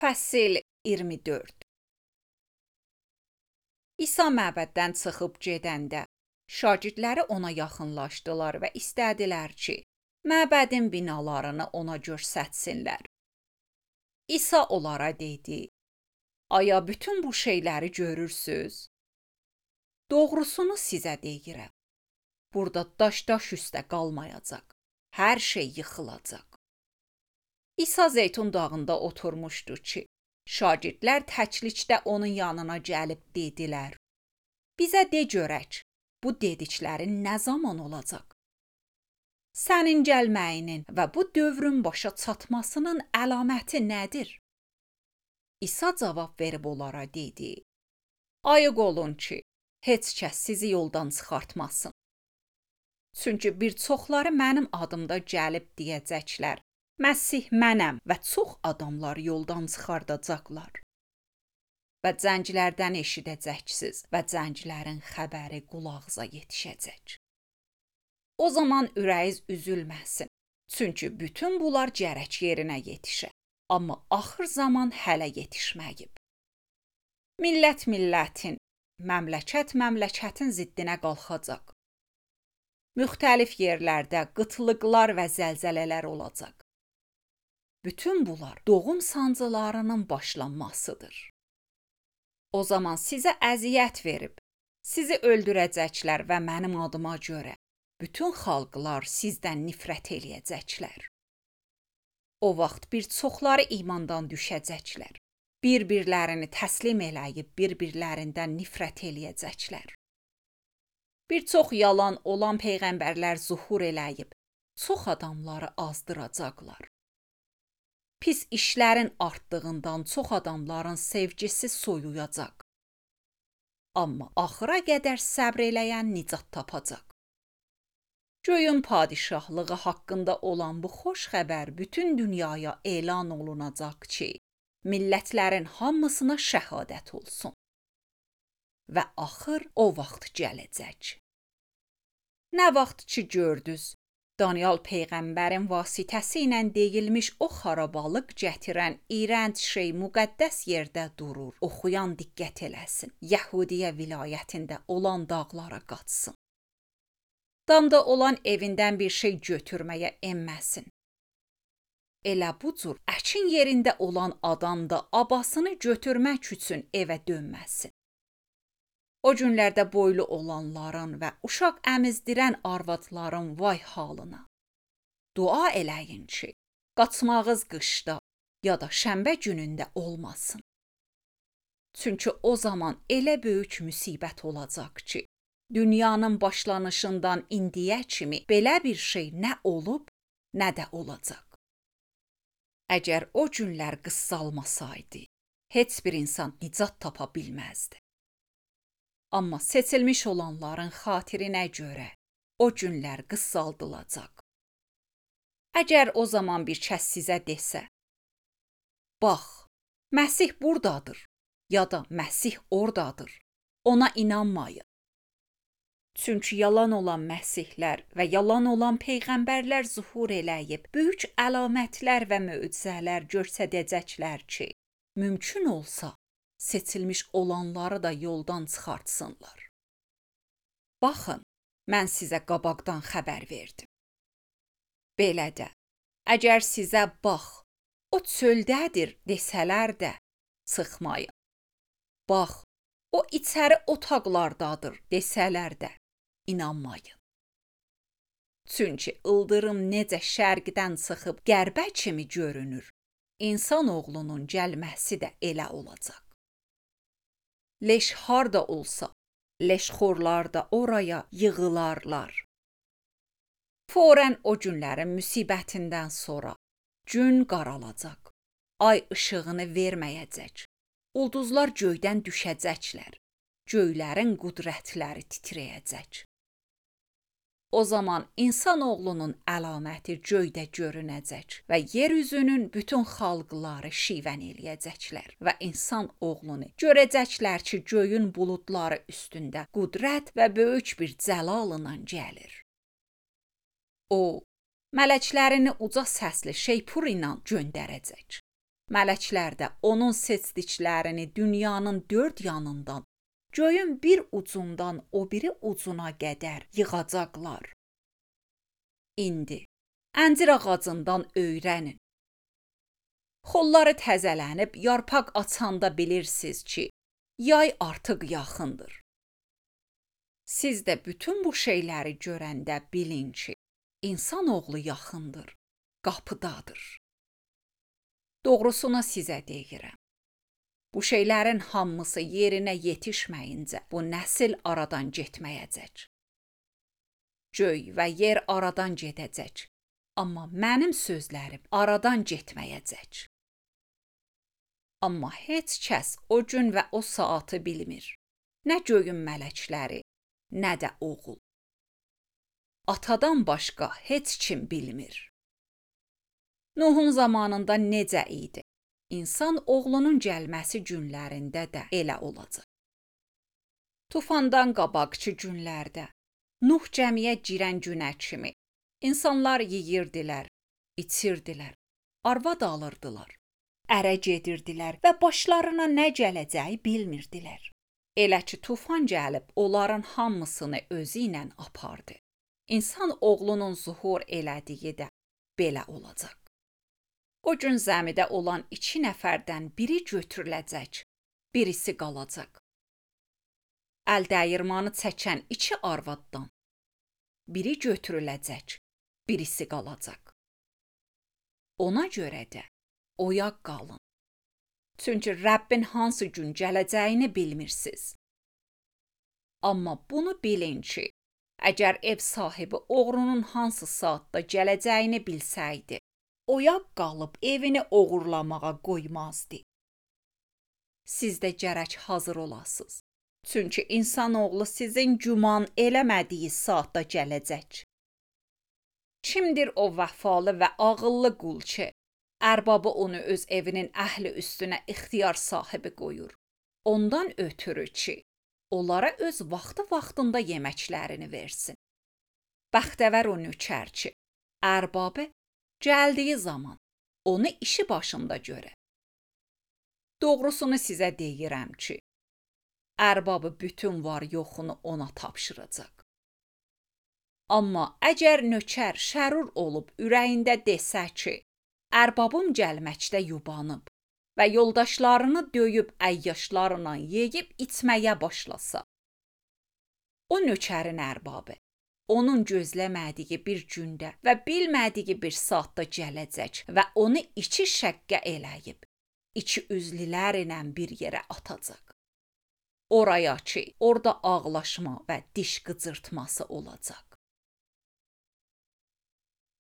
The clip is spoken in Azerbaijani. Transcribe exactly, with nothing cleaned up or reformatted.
Fəsil iyirmi dörd. İsa məbəddən çıxıb gedəndə şagirdləri ona yaxınlaşdılar və istədilər ki, məbədin binalarını ona göstərsinlər. İsa onlara dedi: "Aya bütün bu şeyləri görürsüz? Doğrusunu sizə deyirəm. Burada daş-daş üstə qalmayacaq. Hər şey yıxılacaq." İsa Zeytun dağında oturmuşdu ki, şagirdlər təklikdə onun yanına gəlib dedilər: "Bizə de görək, bu dediklərin nə zaman olacaq? Sənin gəlməyinin və bu dövrün başa çatmasının əlaməti nədir?" İsa cavab verib onlara dedi: "Ayıq olun ki, heç kəs sizi yoldan çıxartmasın. Çünki bir çoxları mənim adımda gəlib deyəcəklər: Məsih mənəm və çox adamlar yoldan çıxardacaqlar. Və zənglərdən eşidəcəksiniz və zənglərin xəbəri qulağınıza yetişəcək. O zaman ürəyiniz üzülməsin, çünki bütün bunlar gərək yerinə yetişə, amma axır zaman hələ yetişməyib. Millət millətin, məmləkət məmləkətin ziddinə qalxacaq. Müxtəlif yerlərdə qıtlıqlar və zəlzələlər olacaq. Bütün bunlar doğum sancılarının başlanmasıdır. O zaman sizə əziyyət verib, sizi öldürəcəklər və mənim adıma görə bütün xalqlar sizdən nifrət eləyəcəklər. O vaxt bir çoxları imandan düşəcəklər. Bir-birlərini təslim eləyib bir-birlərindən nifrət eləyəcəklər. Bir çox yalan olan peyğəmbərlər zuhur eləyib, çox adamları azdıracaqlar. Pis işlərin artdığından çox adamların sevgisi soyuyacaq. Amma axıra qədər səbr eləyən nicat tapacaq. Göyün padişahlığı haqqında olan bu xoş xəbər bütün dünyaya elan olunacaq ki, millətlərin hamısına şəhadət olsun. Və axır o vaxt gələcək. Nə vaxt ki gördünüz, Daniel peyğəmbərin vasitəsi ilə deyilmiş o xarabalıq gətirən iyrənc şey müqəddəs yerdə durur. Oxuyan diqqət eləsin. Yəhudiyə vilayətində olan dağlara qaçsın. Damda olan evindən bir şey götürməyə enməsin. Elə bu cür əkin yerində olan adam da abasını götürmək üçün evə dönməsin. O günlərdə boylu olanların və uşaq əmizdirən arvadların vay halına. Dua eləyin ki, qaçmağız qışda ya da şənbə günündə olmasın. Çünki o zaman elə böyük müsibət olacaq ki, dünyanın başlanışından indiyə kimi belə bir şey nə olub, nə də olacaq. Əgər o günlər qıssalmasaydı, heç bir insan nicat tapa bilməzdi. Amma seçilmiş olanların xatirinə görə o günlər qıssaldılacaq. Əgər o zaman bir kəs sizə desə: "Bax, Məsih buradadır," ya da "Məsih oradadır," ona inanmayın. Çünki yalan olan məsihlər və yalan olan peyğəmbərlər zuhur eləyib, böyük əlamətlər və möcüzələr göstərəcəklər ki, mümkün olsa, seçilmiş olanları da yoldan çıxartsınlar. Baxın, mən sizə qabaqdan xəbər verdim. Belə də, əgər sizə bax, o çöldədir desələr də, çıxmayın. Bax, o içəri otaqlardadır desələr də, inanmayın. Çünki ildırım necə şərqdən çıxıb qərbə kimi görünür, insan oğlunun gəlməsi də elə olacaq. Leş harda olsa, leşxorlar da oraya yığılarlar. Forən o günlərin müsibətindən sonra gün qaralacaq, ay işığını verməyəcək, ulduzlar göydən düşəcəklər, göylərin qüdrətləri titrəyəcək. O zaman insan oğlunun əlaməti göydə görünəcək və yer üzünün bütün xalqları şivən eləyəcəklər və insan oğlunu görəcəklər ki, göyün buludları üstündə qüdrət və böyük bir cəlalla gəlir. O, mələklərini uca səsli şeypur ilə göndərəcək. Mələklər də onun seçdiklərini dünyanın dörd yanından, göyün bir ucundan o biri ucuna qədər yığacaqlar. İndi əncir ağacından öyrənin. Xolları təzələnib yarpaq açanda bilirsiniz ki, yay artıq yaxındır. Siz də bütün bu şeyləri görəndə bilin ki, insanoğlu yaxındır, qapıdadır. Doğrusunu sizə deyirəm. Bu şeylərin hamısı yerinə yetişməyincə bu nəsil aradan getməyəcək. Göy və yer aradan gedəcək, amma mənim sözlərim aradan getməyəcək. Amma heç kəs o gün və o saatı bilmir. Nə göyün mələkləri, nə də oğul. Atadan başqa heç kim bilmir. Nuhun zamanında necə idi? İnsan oğlunun gəlməsi günlərində də elə olacaq. Tufandan qabaqçı günlərdə, Nuh cəmiyə girən günə kimi, insanlar yeyirdilər, içirdilər, arvad alırdılar, ərə gedirdilər və başlarına nə gələcəyi bilmirdilər. Elə ki, tufan gəlib onların hamısını özü ilə apardı. İnsan oğlunun zuhur elədiyi də belə olacaq. O gün zəmidə olan iki nəfərdən biri götürüləcək, birisi qalacaq. Əl dəyirmanı çəkən iki arvaddan biri götürüləcək, birisi qalacaq. Ona görə də oyaq qalın. Çünki Rəbbin hansı gün gələcəyini bilmirsiniz. Amma bunu bilin ki, əgər ev sahibi oğrunun hansı saatda gələcəyini bilsəydi, oyaq qalıb evini oğurlamağa qoymazdı. Siz də gərək hazır olasınız. Çünki insanoğlu sizin güman eləmədiyi saatda gələcək. Kimdir o vəfalı və ağıllı qul ki, ərbabı onu öz evinin əhli üstünə ixtiyar sahibi qoyur. Ondan ötürü ki, onlara öz vaxtı-vaxtında yeməklərini versin. Bəxtəvər o nökər ki, ərbabı gəldiyi zaman onu işi başında görə. Doğrusunu sizə deyirəm ki, ərbabı bütün var yoxunu ona tapşıracaq. Amma əgər nökər şərur olub ürəyində desə ki, ərbabım gəlməkdə yubanıb və yoldaşlarını döyüb əyyaşlarla yeyib içməyə başlasa, o nökərin ərbabı onun gözləmədiyi bir gündə və bilmədiyi bir saatda gələcək və onu iki şəqqə eləyib, iki üzlülər ilə bir yerə atacaq. Oraya ki, orada ağlaşma və diş qıcırtması olacaq.